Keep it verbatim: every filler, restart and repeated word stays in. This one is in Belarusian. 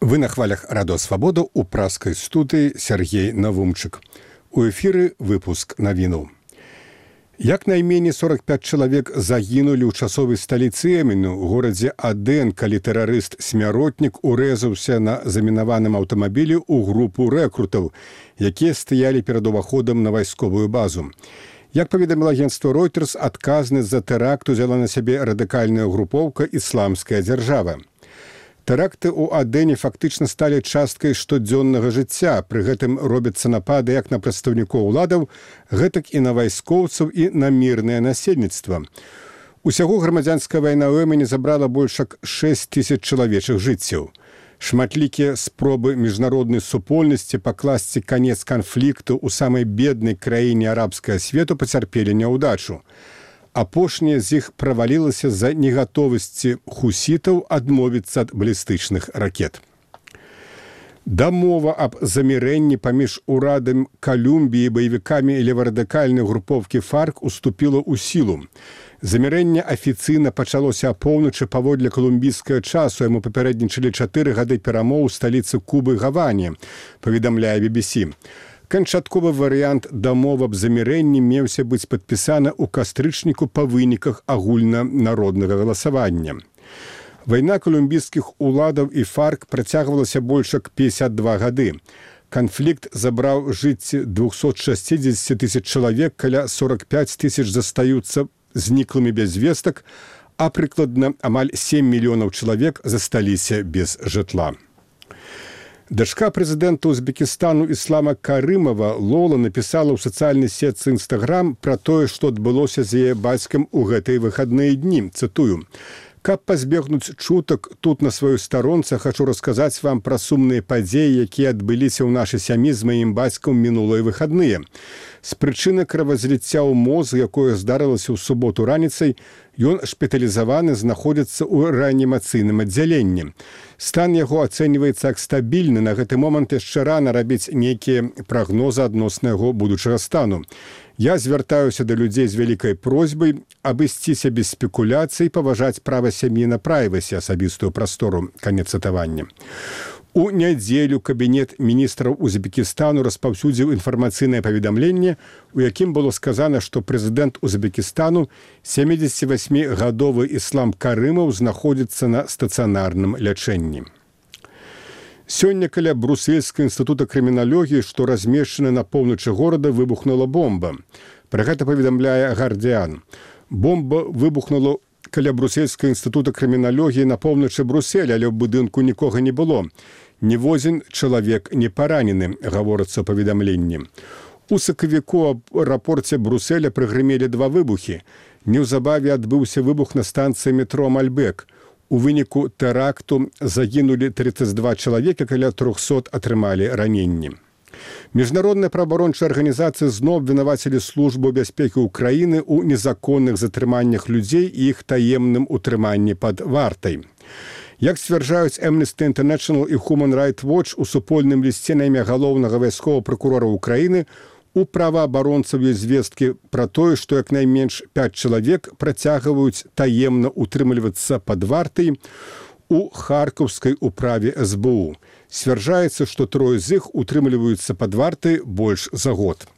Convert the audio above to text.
Вы на хвалях Радио Свобода у праскай студыі Сергей Навумчык. У эфіры выпуск навінаў. Як найменей сорок пять чалавек загінулі ў часовай сталіцы Йемену, у горадзе Аден, калі тэрарыст-смяротнік урэзаўся на замінаваным аўтамабілі ў групу рэкрутаў, якія стаялі перад уваходам на вайсковую базу. Як паведаміла агенцтва Reuters, адказнасць за тэракт узяла на сябе радыкальная групоўка «Ісламская дзяржава». Тэракты ў Адэне фактычна сталі часткай штодзённага жыцця. Пры гэтым робяцца напады як на прадстаўнікоў уладаў, гэтак і на вайскоўцаў і на мірнае насельніцтва. Усяго грамадзянская вайна ў Йемене забрала больш як шэсць тысяч чалавечых жыццяў. Шматлікія спробы міжнароднай супольнасці пакласці канец канфлікту ў самай беднай краіне арабскага свету пацярпелі няўдачу. Апошняе з іх правалілася з-за негатовасці хусітаў адмовіцца ад балістычных ракет. Дамова аб замірэнні паміж урадам Калумбіі і баевікамі леварадыкальнай групоўкі ФАРК уступіла ў сілу. Замірэнне афіцыйна пачалося апоўначы паводле калумбійскага часу. Яму папярэднічалі чатыры гады перамоў у сталіцы Кубы Гаване, паведамляе би би сі. Канчатковы варыянт дамовы аб замірэнні меўся быць падпісаны ў кастрычніку па выніках агульнанароднага галасавання. Вайна калумбійскіх уладаў і ФАРК працягвалася больш як пятьдесят два гады. Канфлікт забраў жыцці двухсот шестидесяти тысяч чалавек, каля сорок пять тысяч застаюцца зніклымі без вестак, а прыкладна амаль семь мільёнаў чалавек засталіся без жытла. Дачка прэзідэнта Узбекістану Іслама Карымова Лола напісала ў сацыяльнай сетцы Інстаграм пра тое, што адбылося з яе бацькам у гэтыя выхадныя дні. Цытую: «Каб пазбегнуць чутак, тут на сваёй старонцы хачу расказаць вам пра сумныя падзеі, якія адбыліся ў нашай сям'і з маім бацькам мінулыя выхадныя. З прычыны кровазліцця ў мозг, якое здарылася ў суботу раніцай, ён шпіталізаваны, знаходзіцца ў рэанімацыйным аддзяленні. Стан яго ацэньваецца як стабільны. На гэты момант яшчэ рана рабіць нейкія прагнозы адносна яго будучага стану. Я звяртаюся да людзей з вялікай просьбай абысціся без спекуляцый, паважаць права сям'і на прайвасі, асабістую прастору». Канец цытавання. У нядзелю кабінет міністраў Узбекістану распаўсюдзіў інфармацыйнае паведамленне, у якім было сказана, што прэзідэнт Узбекістану, сямідзесятивасьмігадовы Іслам Карымов, знаходзіцца на стацыянарным лячэнні. Сёння каля Брусельскага інстытута крыміналогіі, што размешчаны на поўначы горада, выбухнула бомба. Пра гэта паведамляе «Гардыан». Бомба выбухнула каля Брусельскага інстытута крыміналогіі на поўначы Бруселя, але ў будынку нікога не было. Ніводзін чалавек не паранены, гаворыцца ў паведамленні. У сакавіку аб аэрапорце Бруселя прыгрымелі два выбухі. Неўзабаве адбыўся выбух на станцыі метро Мальбек. У выніку тэракту загінулі тридцать два чалавека, каля трохсот атрымалі раненні. Міжнародная праабарончая арганізацыя зноў абвінавацілі службу бяспекі ўкраіны ў незаконных затрыманнях людзей і іх таемным утрыманні пад вартай. Як сцвярджаюць Amnesty International і Human Rights Watch, у супольным лісце на імя галоўнага вайсковага пракурора ўкраіны у праваабаронцаў ёсць звесткі пра тое, што як найменш пять чалавек працягваюць таемна утрымлівацца пад вартай у харкаўскай управе эс бэ у. Сцвярджаецца, што трое з іх утрымліваюцца пад вартай больш за год.